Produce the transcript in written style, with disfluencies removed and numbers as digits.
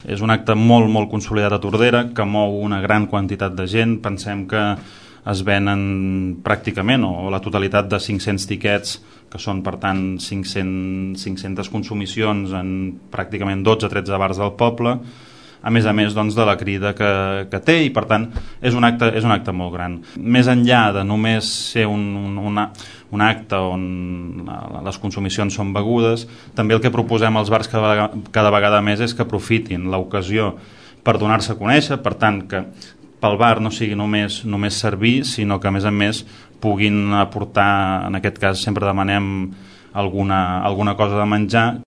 És un acte molt consolidat a Tordera, que mou una gran quantitat de gent. Pensem que es venen pràcticament, o la totalitat de 500 tiquets, que són per tant 500 consumicions en pràcticament 12-13 bars del poble, a més doncs, de la crida que té, i per tant és un acte molt gran. Més enllà de només ser un acte on les consumicions són begudes, també el que proposem als bars cada vegada més és que aprofitin l'ocasió per donar-se a conèixer, per tant que pel bar no sigui només servir, sinó que a més puguin aportar, en aquest cas sempre demanem alguna cosa de menjar.